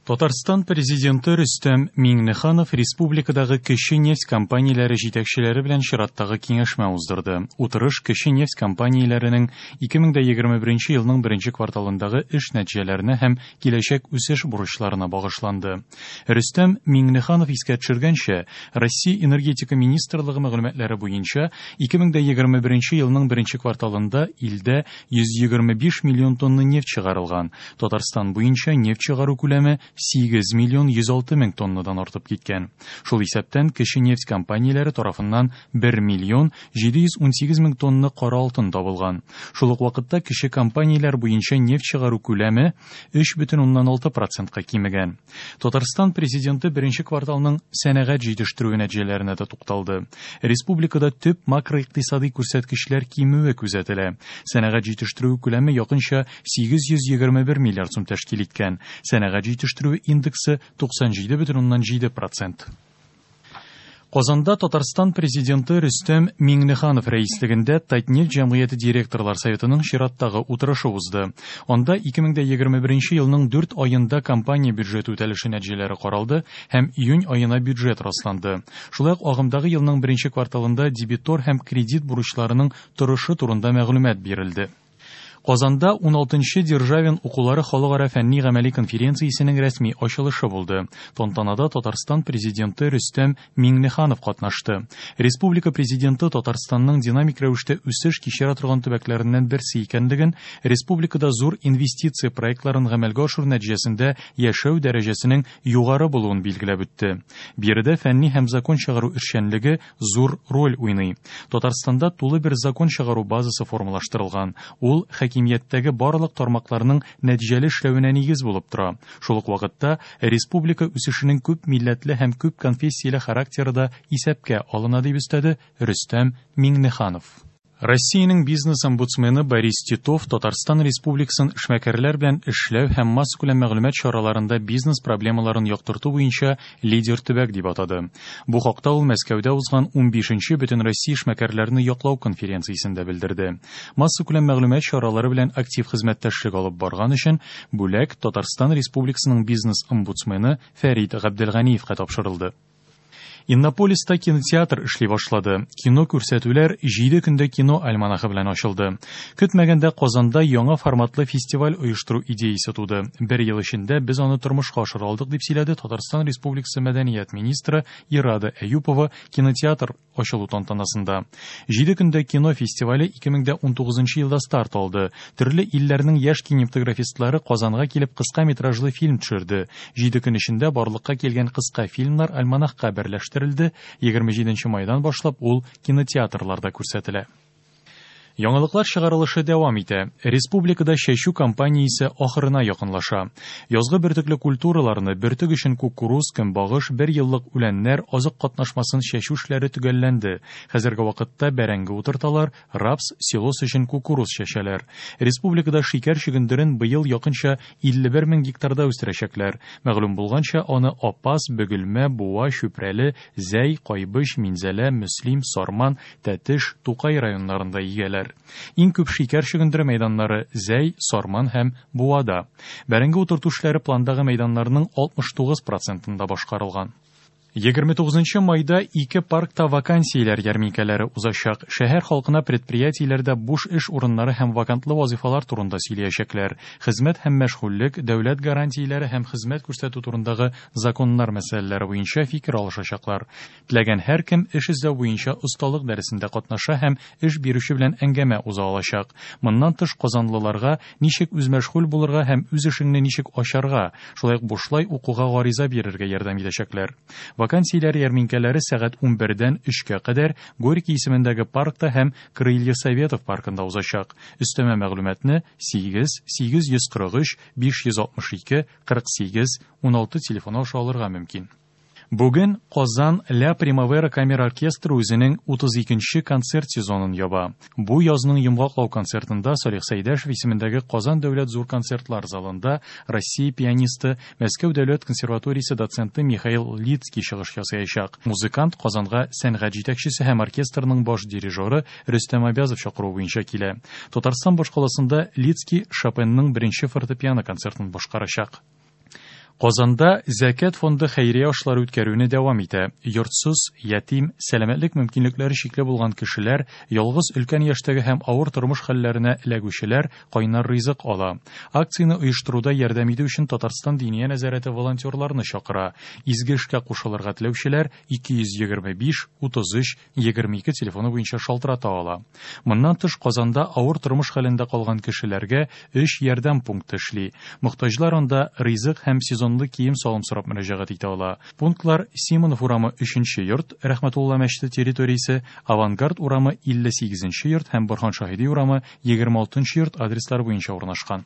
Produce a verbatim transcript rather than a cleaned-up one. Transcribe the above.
Татарстан президенты Рөстәм Миңнеханов республикадагы кече нефть компанияләре җитәкчеләре белән чираттагы киңәшмә уздырды. Утырыш кече нефть компанияләренең ике мең егерме беренче елның беренче кварталындагы эш нәтиҗәләренә һәм киләчәк үсеш бурычларына багышланды. Рөстәм Миңнеханов искә төшергәнчә, Россия энергетика министрлыгы мәгълүматлары буенча ике мең егерме беренче елның беренче кварталында илдә йөз егерме биш миллион тонна нефть чыгарылган. Татарстан буенча нефть чыгару күләме сигез миллион йөз алты мең тоннадан артып киткән. Шул исәптән кече нефть компанияләре тарафыннан бер миллион җиде йөз унсигез мең тонна кара алтын табылган. Шул ук вакытта кече компанияләр буенча нефть чыгару күләме өч бөтен уннан алты процентка кимегән. Татарстан президенты беренче кварталның сәнәгать җитештерүе нәтиҗәләренә дә тукталды. Республикада төп макроикътисади күрсәткечләр кимүе күзәтелә. Сәнәгать җитештерүе күләме якынча сигез йөз егерме бер миллиард сум тәшкил иткән. Сәнәгать җитештерүе индексы туксан җиде бөтен уннан җиде процент. Казанда Татарстан президенты Рөстәм Миңнеханов рәислегендә Татнефть җәмгыяте директорлар советының чираттагы утырышы узды. Анда ике мең егерме беренче елның дүрт аенда компания бюджеты үтәлеше нәтиҗәләре каралды һәм июнь аена бюджет расланды. Шулай ук агымдагы елның беренче кварталында дебитор һәм кредит бурычларының торышы турында мәгълүмат бирелде. Казанда уналтынчы Державин укулары халыкара фәнни гамәли конференциясенең рәсми ачылышы булды. Тантанада Татарстан президенты Рөстәм Миңнеханов катнашты. Республика президенты Татарстанның динамик рәвештә үсеш кичерә торган төбәкләреннән берсе икәнлеген, республикада зур инвестиция проектларын гамәлгә ашыру нәтиҗәсендә яшәү дәрәҗәсенең югары булуын билгеләп үтте. Биредә фәнни һәм закон чыгару эшчәнлеге зур роль уйный. Татарстанда тулы бер закон чыгару базасы формалаштырылган. Ул хакимияттәге барлык тармакларның нәтиҗәле эшләвенә нигез булып тора. Шул ук вакытта республика үсешенең күп милләтле һәм күп конфессияле характеры да исәпкә алына, дип өстәде Рөстәм Миңнеханов. Россиянең бизнес-омбудсмены Борис Титов Татарстан Республикасын эшмәкәрләр белән эшләү һәм массакүләм мәгълүмат чараларында бизнес проблемаларын яктырту буенча лидер төбәк дип атады. Бу хакта ул Мәскәүдә узган унбишенче Бөтенроссия эшмәкәрләрне яклау конференциясендә белдерде. Массакүләм мәгълүмат чаралары белән актив хезмәттәшлек алып барган өчен бүләк Татарстан Республикасының бизнес-омбудсмены Фәрит Габделганиевка тапшырылды. Иннополиста кинотеатр эшли башлады. Кино күрсәтүләр җиде көндә кино альманахы белән ачылды. Көтмәгәндә Казанда яңа форматлы фестиваль оештыру идеясы туды. Бер ел эчендә без аны тормышка ашыра алдык, дип сөйләде Татарстан Республикасы мәдәният министры Ирада Әюпова кинотеатр ачылу тантанасында. Җиде көндә кино фестивале ике мең унтугызынчы елда старт алды. Төрле илләрнең яшь кинематографистлары Казанга килеп кыска метражлы фильм төшерде. Җиде көн эчендә барлыкка килгән кыска фильмнар альманахка берләштерелде. Егерме җиденче майдан башлап ул кинотеатрларда күрсәтелә. Яңалыклар чыгарылышы дәвам итә. Республикада чәчү кампаниясе ахырына якынлаша. Язгы бөртекле культураларны, бөртек өчен кукуруз, көнбагыш, бер еллык үләннәр, азык катнашмасын чәчү эшләре төгәлләнде. Хәзерге вакытта бәрәңге утырталар, рапс, силос өчен кукуруз чәчәләр. Республикада шикәр чөгендерен быел якынча илле бер мең гектарда үстерәчәкләр. Мәгълүм булганча, аны Апас, Бөгелмә, Буа, Чүпрәле, Зәй, Кайбыч, Минзәлә, Мөслим, Сарман, Тәтеш, Тукай районнарында игәләр. Иң күп шикәр чөгендере мәйданнары Зәй, Сарман һәм Буада. Бәрәңге утырту эшләре пландагы мәйданнарның алтмыш тугыз процентында башкарылган. Егерме тугызынчы майда ике паркта вакансияләр ярминкәләре узачак. Шәһәр халкына предприятиеләрдә буш эш урыннары һәм вакантлы вазифалар турында сөйләячәкләр. Хезмәт һәм мәшгульлек, дәүләт гарантияләре һәм хезмәт күрсәтү турындагы законнар мәсьәләләре буенча фикер алышачаклар. Теләгән һәркем эш эзләү буенча осталык дәресендә катнаша һәм эш бирүче белән әңгәмә уза алачак. Моннан тыш казанлыларга ничек үзмәшгуль булырга һәм үз эшеңне ничек ачарга, шулай ук бушлай укуга гариза бирергә ярдәм итәчәкләр. Вакансияләр ярминкәләре сәгать унбердән өчкә кадәр Горький исемендәге паркта һәм Крылья Советов паркында узачак. Өстәмә мәгълүматны сигез, сигез йөз кырык өч, биш йөз алтмыш ике, кырык сигез, уналты телефоны аша алырга мөмкин. Бүген Казан Ля Примавера камера оркестры үзенең утыз икенче концерт сезонын яба. Бу язның йомгаклау концертында Салих Сәйдәшев исемендәге Казан дәүләт зур концертлар залында Россия пианисты, Мәскәү дәүләт консерваториясе доценты Михаил Лидский чыгыш ясаячак. Музыкант Казанга сәнгать җитәкчесе һәм оркестрның баш дирижеры Рөстәм Абязов чакыруы буенча килә. Татарстан башкаласында Лидский Шопенның беренче фортепиано концертын башкарачак. Казанда Зәкят фонды хәйрия ашлары үткәрүне дәвам итә. Йортсыз, ятим, сәламәтлек мөмкинлекләре чикле булган кешеләр, ялгыз өлкән яшьтәге һәм авыр тормыш хәлләренә эләгүчеләр кайнар ризык ала. Акцияне оештыруда ярдәм итү өчен Татарстан Диния нәзарәте волонтерларны чакыра. Изге эшкә кушылырга теләүчеләр ике йөз егерме биш, утыз өч, егерме ике телефоны буенча шалтырата ала. Моннан тыш Казанда авыр тормыш хәлендә калган кешеләргә өч ярдәм пункты эшли. Мохтаҗлар анда ризык һәм сезон кием салым сорап мөрәҗәгать итә ала. Пунктлар Симонов урамы өченче йорт, Рәхмәтулла мәчете территориясе, Авангард урамы илле сигезенче йорт һәм Борһан Шаһиди урамы егерме алтынчы йорт адреслары буенча урнашкан.